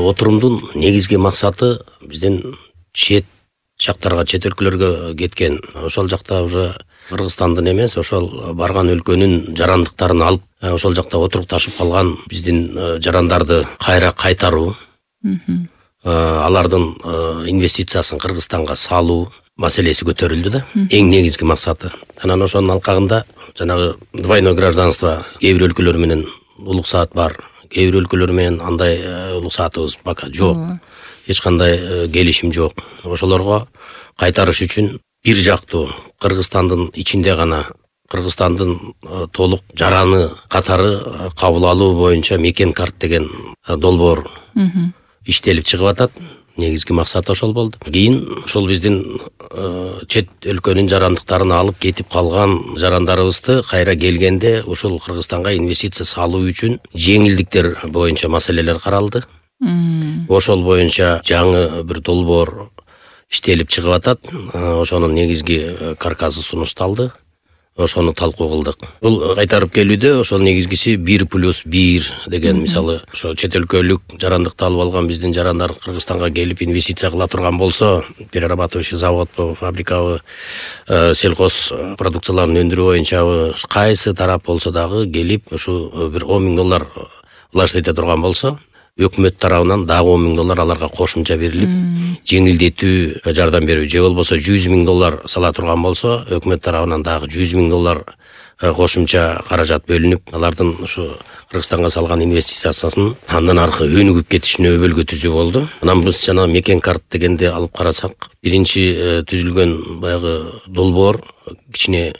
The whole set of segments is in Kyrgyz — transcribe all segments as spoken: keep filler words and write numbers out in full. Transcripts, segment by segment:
отурумдун негизги максаты биздин чет жактарга, чет өлкөлөргө кеткен, ошол жакта уже Кыргызстандын эмес, ошол барган өлкөнүн жарандыктарын алып, ошол жакта отурукташып калган биздин жарандарды кайра кайтаруу, алардын инвестициясын Кыргызстанга салуу маселеси көтөрүлдү да. Эң негизги максаты. Анан ошонун алкагында жанагы двойное гражданство кээ бир өлкөлөр менен улук саат бар, кээ бир өлкөлөр менен андай улук саатыбыз пока жок. Эч кандай келишим жок. Ошолорго кайтарыш үчүн бир жактуу Кыргызстандын ичинде гана Кыргызстандын толук жараны катары кабыл алуу боюнча мекен карт деген долбоор иштелип чыгып атат. Негизги максат ошол болду. Кийин ошол биздин чет өлкөнүн жарандыктарын алып кетип калган жарандарыбызды кайра келгенде ушул Кыргызстанга инвестиция салуу үчүн жеңилдиктер боюнча маселелер каралды. Ошол боюнча жаңы бир долбоор иштелип чыгып атат. Ошонун негизги каркасы сунушталды. Ошону талкуу кылдык. Бул кайтарып келүүдө ошол негизгиси бир плюс бир деген, мисалы, ошо чет өлкөлүк жарандыкты алып алган биздин жарандар Кыргызстанга келип инвестиция кыла турган болсо, перерабатывающий заводбу, фабрикабы, сельхоз продукцияларын өндүрүү боюнчабы кайсы тарап болсо дагы келип ушу бир он миң доллар влаштый эте турган болсо, өкмөт тарабынан дагы он миң доллар аларга кошумча берилип, жеңилдетүү жардам берүү, же болбосо жүз миң доллар сала турган болсо, өкмөт тарабынан дагы жүз миң доллар кошумча каражат бөлүнүп, алардын ушу Кыргызстанга салган инвестициясын андан аркы өнүгүп кетишине өбөлгө түзүү болду. Анан биз жана мекен карт дегенде алып карасак, биринчи түзүлгөн баягы долбоор кичине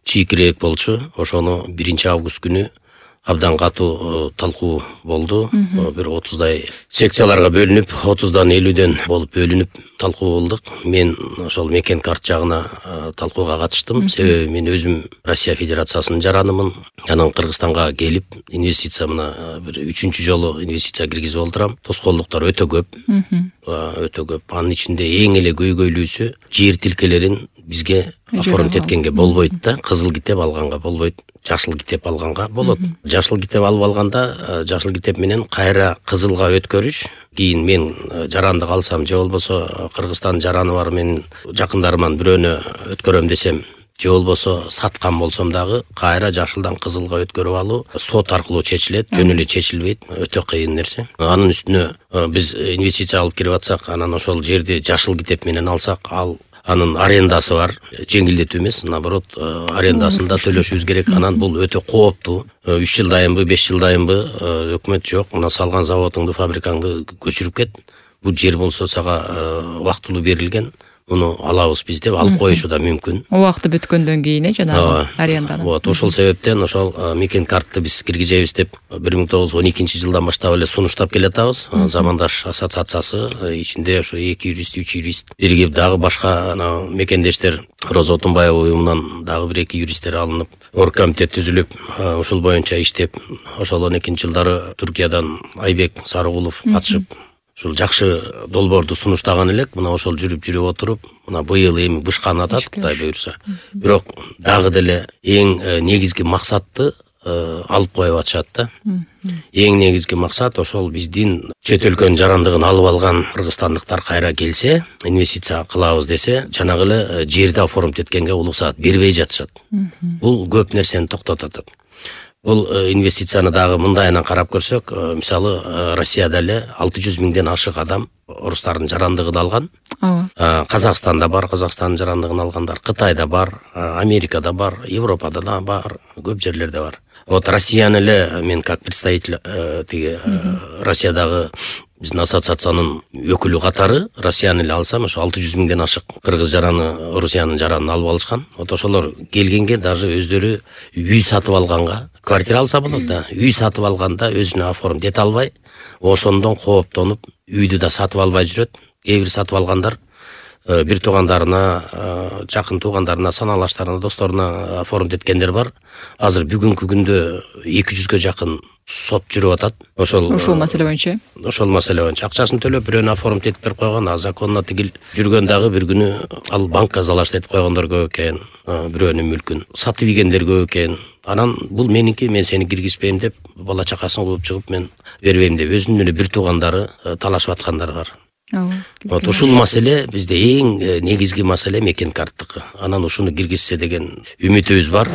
чийкирээк болчу. Ошону биринчи август күнү абдан катуу талкуу болду. Бир отуздай секцияларга бөлүнүп, отуздан элүүдөн болуп бөлүнүп талкуу кылдык. Мен ошол мекен карт жагына талкууга катыштым. Себеби мен өзүм Россия Федерациясынын жаранымын. Анан Кыргызстанга келип инвестиция мына бир үчүнчү жолу инвестиция киргизип олтурам. Тоскоолдуктар өтө көп. Өтө көп. Анын ичинде эң эле көйгөйлүүсү жер тилкелерин бизге оформить эткенге болбойт да, кызыл китеп алганга болбойт. Жашыл китеп алганга болот. Жашыл китеп алып алганда, жашыл китеп менен кайра кызылга өткөрүш, кийин мен жарандык алсам, же болбосо Кыргызстан жараны бар менин жакындарыман бирөөнө өткөрөм десем, же болбосо саткан болсом дагы кайра жашылдан кызылга өткөрүп алуу сот аркылуу чечилет, жөн эле чечилбейт, өтө кыйын нерсе. Анын үстүнө биз инвестиция алып кирип атсак, анан ошол жерди жашыл китеп менен алсак, ал анын арендасы бар, жеңилдетүү эмес, наоборот, арендасын да төлөшүбүз керек. Анан бул өтө кооптуу. үч жылдайынбы, беш жылдайынбы өкмөт жок, мына салган заводуңду, фабрикаңды көчүрүп кет. Бул жер болсо сага убактылуу берилген. Муну алабыз биз деп алып коюшу да мүмкүн. Убакыты бүткөндөн кийин э жанагы аренданын. Вот, ошол себептен ошол мекен картты биз киргизебиз деп бир миң тогуз жүз он экинчи жылдан баштап эле сунуштап келатабыз. Замандаш ассоциациясы ичинде ошо эки юрист, үч юрист биригип, дагы башка мекендештер Роза Отунбаева уюмунан дагы бир эки юристтер алынып, оргкомитет түзүлүп, ушул боюнча иштеп, ошол он экинчи жылдары Түркиядан Айбек Сарыгулов катышып, ушул жакшы долбоорду сунуштаган элек. Мына ошол жүрүп жүрүп отуруп, мына быйыл эми бышканы атат, Кудай буйрса. Бирок дагы деле эң негизги максатты алып коюп атышат да. Эң негизги максат ошол биздин чет өлкөнүн жарандыгын алып алган кыргызстандыктар кайра келсе, инвестиция кылабыз десе, жанагы эле жерди оформить эткенге улук саат бербей жатышат. Бул көп нерсени токтотот. Бул инвестицияны дагы мындайынан карап көрсөк, мисалы Россияда эле алты жүз миңден ашык адам орустардын жарандыгын алган. Казакстанда бар, Казакстандын жарандыгын алгандар, Кытайда бар, Америкада бар, Европада да бар, көп жерлерде бар. Вот Россияны эле мен как представитель тиги Россиядагы биздин ассоциациянын өкүлү катары Россияны эле алсам, ошо алты жүз миңден ашык кыргыз жараны, Орусиянын жаранын алып алышкан. Вот ошолор келгенге даже өздөрү үй сатып алганга, квартира алса болот да, үй сатып алганда өзүнө оформить эте албай, ошондон кооптонуп, үйдү да сатып албай жүрөт. Кээ бир сатып алгандар бир туугандарына, жакын туугандарына, саналаштарына, досторуна оформить эткендер бар. Азыр бүгүнкү күндө эки жүзгө жакын сот жүрүп атат. Ошол ошол маселе боюнча. Ошол маселе боюнча акчасын төлөп, бирөөнү оформить этип берип койгон, а законно тигил жүргөн дагы бир күнү ал банкка залаштырып койгондор көп экен, бирөөнүн мүлкүн сатып ийгендер көп экен. Анан бул меники, мен сени киргизбейм деп бала чакасын кууп чыгып мен бербейм деп өзүнүн эле бир туугандары талашып аткандары бар. Вот ушул маселе бизде эң негизги маселе мекен карттыкы. Анан ушуну киргизсе деген үмүтүбүз бар.